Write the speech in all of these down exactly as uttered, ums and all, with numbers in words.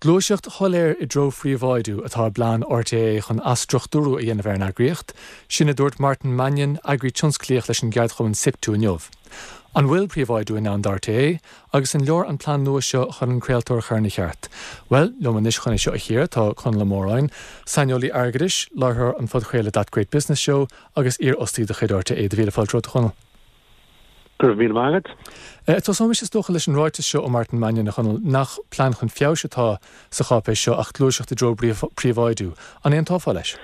Gluaiseacht shoiléir i dtreo phríobháidiú atá i bplean R T É chun athstruchtúrú a dhéanamh ar an eagraíocht, sin a dúirt Martin Mannion, eagraí tionsclaíoch leis an gceardchumann SIPTU inniu. An bhfuil príobháidiú i ndán d'R T É agus an leor an plean nua seo chun an craoltóir a chur ina cheart? Well, liom anois chun é seo a chíoradh tá Conall Ó Móráin, saineolaí airgeadais, láithreoir an phodchraoladh That Great Business Show agus iarfhostaí de chuid R T É. Do mhíle fáilte romhat, a Chonaill. Go raibh míle maith agat. Eh, Tosóimis is dócha leis an ráiteas seo ó Martin Mannion, a Chonaill, nach plean chun feabhais atá sa cháipéis seo ach gluaiseacht i dtreo príobháidiú. An aontófá leis?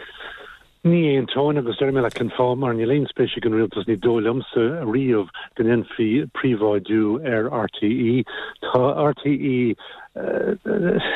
Ní aontóinn, agus deir mé leat cén fáth, mar níl aon spéis ag an rialtas, ní dóigh liomsa riamh, go ndéanfaí príobháidiú ar R T É. Tá R T É,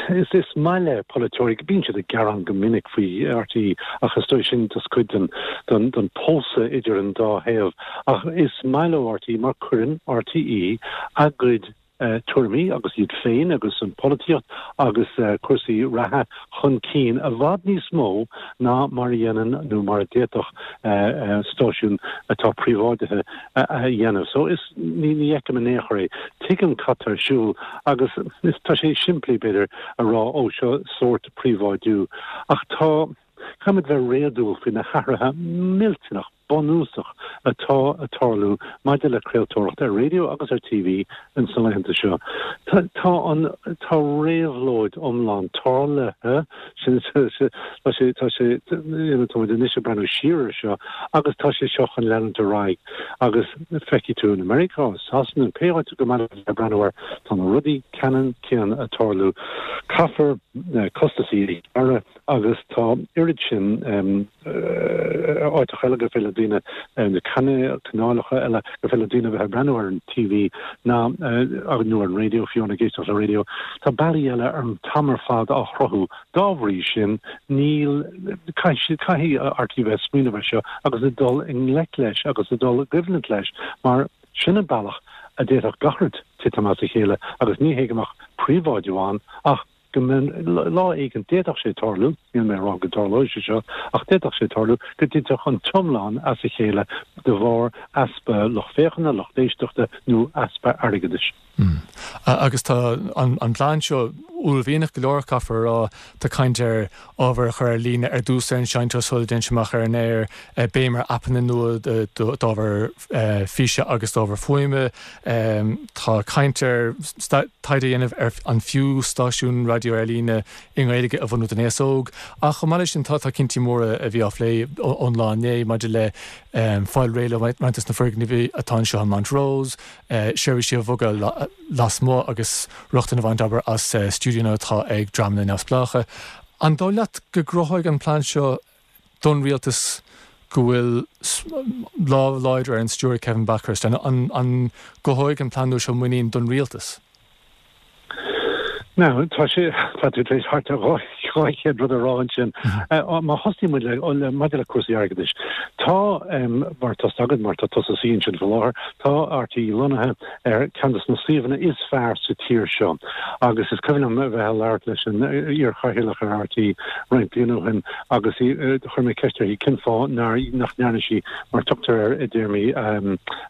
is is maith le polaiteoirí, bíonn siad ag gearán go minic faoi R T É, ach is dóigh sin just cuid den den den pósadh idir an dá thaobh, ach is maith leo R T É mar cuireann R T É a gcuid uh, tuairimí agus iad féin agus an polaitíocht agus uh, cúrsaí reatha chun cinn i bhfad níos mó ná mar a dhéanann nó mar a d'fhéadfadh uh, uh, stáisiún atá príobháidithe a dhéanamh. So is ní ní fheicim in aon chor é. Tuigim cad tá ar siúl agus is tá sé simplí, b'fhéidir, a rá ó seo sórt príobháidiú, ach tá caithfimid bheith réadúil faoi na hathruithe millteanach bunúsach atá ag tarlú maidir le craoltóireacht ar raidió agus ar T V in san laethanta seo. Tá tá an tá réabhlóid iomlán tarlaithe sin. tá sé tá sé tá anois ag breathnú siar seo agus tá sé seo chun leanúint ar aghaidh agus feicfidh tú in America, Sasana, pé áit go mbeifeá ag breathnú air, tá na rudaí ceannann céanna ag tarlú. Caithfear costaisí a agus tá oiread sin áiteacha eile gur féidir le daoine, na canálacha eile gur féidir le daoine bheith breathnú ar an T V ná agus nó ar an raidió, fiú ag éisteacht le raidió. Tá bealaí eile ar an t-am ar fad á chruthú. Dá bhrí sin níl caithfidh R T É bheith smaoineamh seo agus a dul i ngleic leis agus a dul i gcoimhlint leis, mar sin an bealach a d'fhéadfadh gach rud titim as a chéile, agus ní hé go mbeadh príobháidiú ann ach go lá éigin d'fhéadfadh sé tarlú. Níl mé rá go dtarlóidh sé seo, ach d'fhéadfadh sé tarlú go dtitfeadh an t-iomlán as a chéile de bharr easpa lucht féachana, lucht éisteachta nó easpa airgeadais. Mm. Agus tá an, an plean seo uaillmhianach go leor, caithfear a rá. Tá caint ar ábhar a chur ar líne ar dtús ar an seinnteoir sula dtéann sé amach ar an aer, béim ar aipeanna nua d'ábhar físe agus d'ábhar fuaime. Tá caint ar taighde a dhéanamh ar an fiú stáisiún raidió ar líne i nGaeilge a bhunú don aos óg. Ach chomh maith leis sin tá tá cinntí móra a bhí á phlé ón lá inné maidir le fáil réidh le roinnt de na foirgnimh atá anseo in Montrose, seirbhísí a bhogadh lasmuigh agus rochtain a bhaint abair as stiúideo atá ag dreamanna neamhspleácha. An dóigh leat go gcruthóidh an plean seo don rialtas go bhfuil lámh láidir ar an stiúir Kevin Bakhurst, an, an, an gcothóidh an plean seo muinín don rialtas? Now, tá sé tá tú tar éis thart ar dhá chéad rud a rá ansin. Má thosaíonn muid le maidir le cúrsaí airgeadais. Tá, mar tá agad mar tá tusa sin sin faoi láthair, tá R T É lonnaithe ar ceann de na suíomhanna is fearr sa tír seo. Agus is cuimhin liom bheith ag labhairt leis an iar-chathaoirleach ar R T É roinnt bliain ó shin agus chuir mé ceist uirthi cén fáth nach ndearna sí, mar tugtar air i dtéarmaí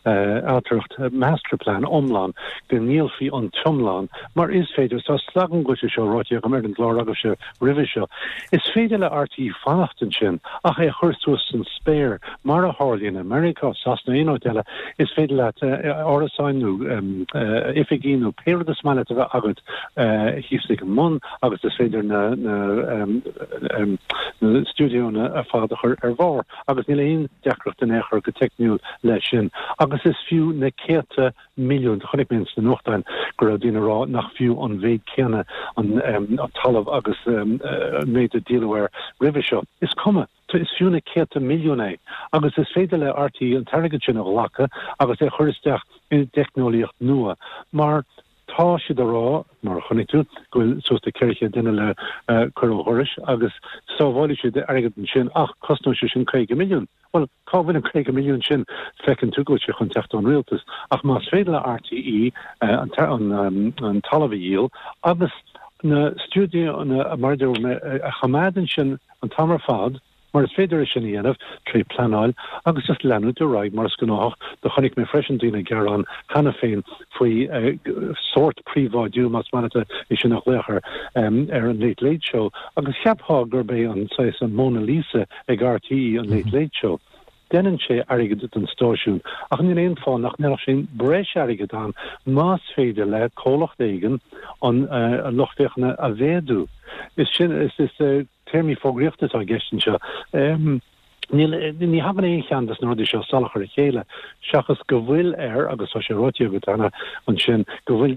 ailtireacht, masterplan iomlán, go ndíolfaí an t-iomlán, mar is féidir tá slagan go seo ráite agam ar an gclár agus sé roimhe seo. Is féidir le R T É fanacht ansin ach é chur suas san spéir, mar a tharlaíonn America, Sasana, aon áit eile. Is féidir leat árasáin nó oifigí nó pé rud is maith leat a bheith agat thíos ag an mbun agus is féidir na na stiúideonna ar fad a chur ar bharr agus níl aon deacracht in aon chor go teicniúil leis sin, agus is fiú na céadta milliún. Chonaic mé sna nuachtáin go raibh daoine ag rá nach fiú an mhéid céanna an, um, an talamh agus um, uh, méid a díoladh air roimhe seo. Is cuma, is fiú na céadta milliún é, agus is féidir le R T É an t-airgead sin a ghlacadh agus é chur isteach i dteicneolaíocht nua, mar tá siad ag rá, mar chonaic tú, go bhfuil suas le ceithre chéad duine le uh, cur ó dhoras agus sábhálfaidh siad airgead ansin, ach cosnóidh sé sin caoga milliún. Well, cá bhfuil an caoga milliún sin? Feiceann tú go bhfuil sé chun teacht ón rialtas, ach más féidir le R T É uh, an, an, um, an talamh a dhíol agus na stiúideonna, mar a choimeád ansin an t-am ar fad. Mar is féidir é sin a dhéanamh tré pleanáil agus just leanúint ar aghaidh mar is gnách. Do chonaic mé freisin daoine ag gearán cheana féin faoi sórt príobháidiú, más maith leat é sin a ghlaoch air, ar an Late Late Show agus cheapfá gurb é an saghas an Mona Lisa ag RTÉ an Late Late Show. Déanann sé airgead don stáisiún ach níl aon fáth nach ndéanfadh sé breis airgid ann más féidir le comhlacht éigin an lucht féachana a mhéadú. Is sin is is téarmaí fógraíochta atá i gceist anseo. Níl, ní thagann aon cheann des na rudaí seo salach ar a chéile, seachas go bhfuil air, agus tá sé ráite agat cheana ansin, go bhfuil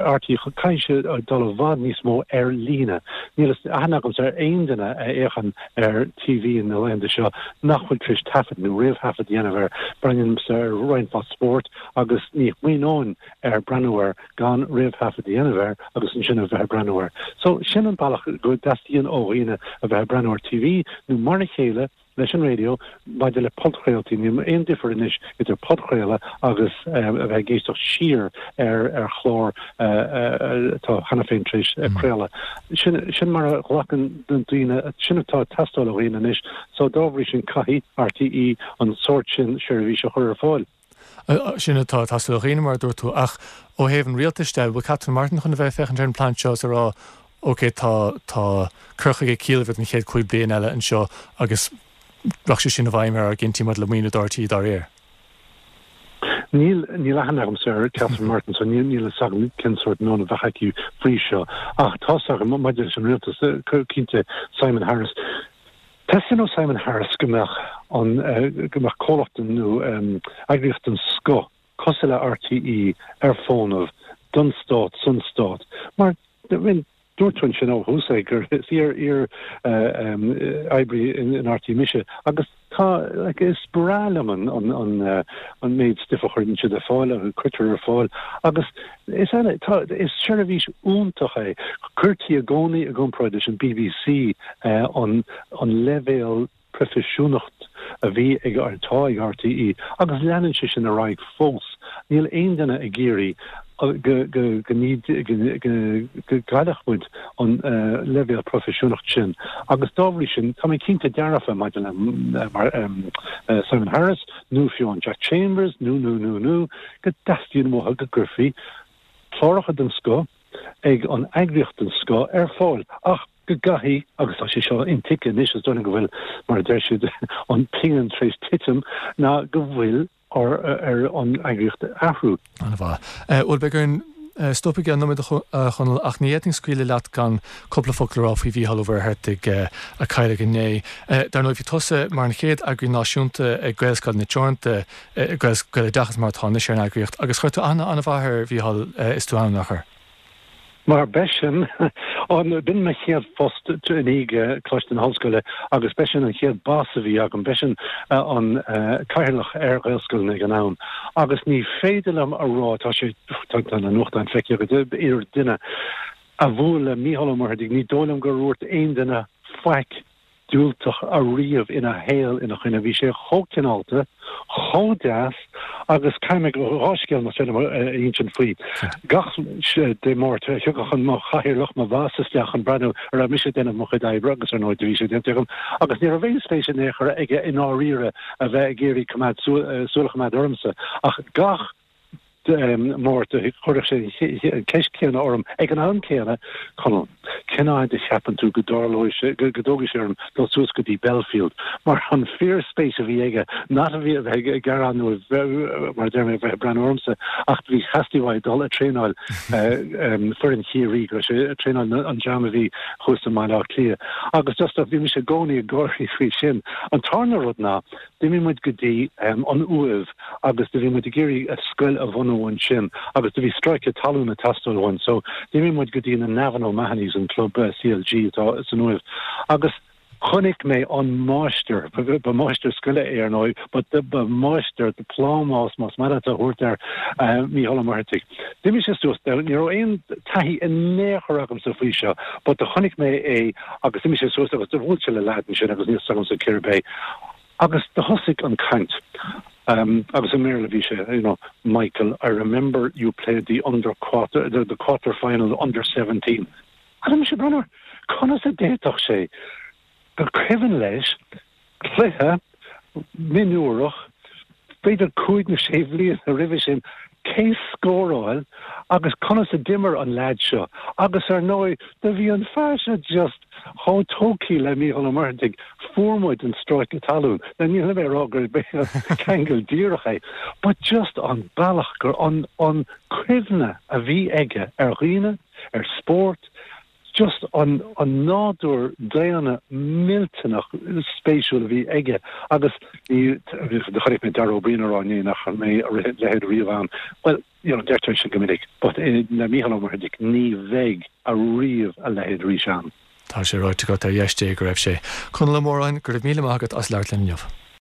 RTÉ, caithfidh sé dul i bhfad níos mó ar líne. Níl aithne agamsa ar aon duine a fhéachann ar TV na laethanta seo nach bhfuil tar éis taifead nó réamhthaifead a dhéanamh air. Breathnaímse ar roinnt mhaith spóirt agus ní smaoineoinn ar breathnú air gan réamhthaifead a dhéanamh air agus ansin a bheith ag breathnú air. So sin an bealach go dteastaíonn ó dhaoine a bheith ag breathnú ar TV nó mar a chéile leis an raidió maidir le podchraoltaí. Níl aon difear anois idir podchraoladh agus a bheith ag éisteacht siar ar ar chlár atá cheana féin tar éis craoladh. Sin sin mar a ghlacann daoine, sin atá ag teastáil ó dhaoine anois. So dá bhrí sin caithfidh RTÉ an sórt sin seirbhís a chur ar fáil. Sin atá ag teastáil ó dhaoine, mar a dúirt tú, ach ó thaobh an rialtais de, bhfuil Catherine Martin chun a bheith ag féachaint ar an bplean seo is a rá, ok, tá tá cur chuige ciallmhar don chéad cúig bliana eile anseo agus rachaidh sé sin i bhfeidhm ar ár gcinntí maidir le maoiniú do RTÉ dá réir? Níl níl aithne agamsa ar Catherine Martin so níl níl a fhios agam cén sórt meon a bheadh aici faoi seo ach tá a fhios agam maidir leis an rialtas, cinnte Simon Harris, Teastaíonn ó Simon Harris go mbeadh an go mbeadh comhlacht nó eagraíocht den scoth cosúil le RTÉ ar fónamh don stát san stát mar I mean dúirt tú ansin ó thús é gur is iar iar oibrí in RTÉ mise agus tá like is breá liom an an an an méid stuif a chuireann siad ar fáil a cuirtear ar fáil agus is eile tá is seirbhís iontach é. Cuirtí i gcónaí i gcomparáid leis an BBC an an leibhéal proifisiúnacht a bhí ag atá ag RTÉ agus leanann sé sin ar aghaidh fós. Níl aon duine ag iarraidh go go go go gcaillfeadh muid an leibhéal proifisiúnacht sin agus dá bhrí sin tá mé cinnte dearfa maidir le Simon Harris nó fiú an Jack Chambers nó nó nó nó go dteastaíonn uathu go gcuirfí cláracha den scoth ag an eagraíocht den scoth ar fáil ach go gcaithfidh, agus tá sé seo intuigthe anois, is dóigh liom go bhfuil, mar a deir siad, an phingin tar éis titim, ná go bhfuil ar ar an eagraíocht athrú. An-mhaith. Bhuel, beidh orainn stop i gceann nóiméad a Chonaill, ach ní fhéadfainn scaoileadh leat gan cúpla focal a rá faoi Mhícheál Ó Muircheartaigh a cailleadh inné. Dar ndóigh, bhí tusa mar an chéad eagraí náisiúnta ag Gaelscoileanna Teoranta, Gaeloideachas mar atá anois ar an eagraíocht, agus chuir tú aithne an-mhaith ar Mhícheál is tú ann, nár chuir? Mar b'eisean an, b'in mo chéad phost i ndiaidh Coláiste na hOllscoile agus b'eisean an chéad boss a bhí agam, b'eisean an cathaoirleach ar Ghaelscoileanna ag an am agus ní féidir liom a rá, tá sé, tá na nuachtáin feicthe agat, idir duine a bhuail le Mícheál Ó Muircheartaigh, ní dóigh liom gur dhúirt aon duine faic diúltach ariamh ina shaol ina choinne. Bhí sé chomh cineálta, chomh deas agus caithfidh mé dhá scéal más féidir liom a insint faoi. Gach Dé Máirt thiocfadh an mo chathaoirleach, mo bhoss isteach chun breathnú an raibh mise ag déanamh mo chuid oibre agus ar ndóigh do bhí sé déanta agam agus ní raibh aon spéis in aon chor aige i ndáiríre a bheith ag iarraidh coimeád súil a choimeád ormsa ach gach Máirt, chuirfeadh sé an ceist chéanna orm ag an am céanna, Conall, cén fhad a cheapann tú go dtarlóidh sé, go dtógfaidh sé orm dul suas go dtí Belfield? Mar an fíorspéis a bhí aige, not a bhí a bheith ag gearán nó mar a deir mé, a bheith ag breathnú ormsa, ach bhí theastaigh uaidh dul ag traenáil foireann Chiarraí, go raibh sé ag traenáil an dream a bhí thuas i mBaile Átha Cliath. Agus just bhí mise i gcónaí ag gáirí faoi sin. An tarna rud ná, D'imigh muid go dtí an Uaimh agus do bhí muid ag iarraidh scoil a bhunú ansin agus do bhí stráice talún ag teastáil uainn so d'imigh muid go dtí na Navan O'Mahony's, an club CLG atá san Uaimh agus chonaic mé an máistir, ba máistir scoile é ar ndóigh, but ba máistir de plámás más maith leat a thabhairt air, Mícheál Ó Muircheartaigh. D'imigh sé suas, ní raibh aon taithí in aon chor agamsa faoi seo but do chonaic mé é agus d'imigh sé suas agus do bhuail sé le leaid ansin agus níl 's agamsa cérb é. Agus do thosaigh an caint. Agus i mBéarla bhí sé, you know, Michael, I remember you played the under quarter, the, the quarter final under seventeen. Agus mise ag breathnú air, conas a d'fhéadfadh sé gur cuimhin leis cluiche mionúrach, b'fhéidir cúig nó sé bhliana roimhe sin, cé scóráil agus conas a d'imir an leaid seo agus ar ndóigh do bhí an fear seo just chomh tógtha le Mícheál Ó Muircheartaigh, fuair muid an stráice talún. Now níl mé ag rá gurb é an ceangal díreach é but just an bealach gur an an cuimhne a bhí aige ar dhaoine, ar spórt, just an an nádúr daonna millteanach spéisiúil a bhí aige agus ní chonaic mé Dara Ó Briain ag rá inné nach mbeidh a leithéid riamh ann. Bhuel, you know, deirtear sin go minic, but le Mícheál Ó Muircheartaigh ní bheidh ariamh a leithéid arís ann. Tá sé ráite agat ar dheis Dé go raibh sé. Conall Ó Móráin, go raibh míle maith agat as labhairt linn inniu.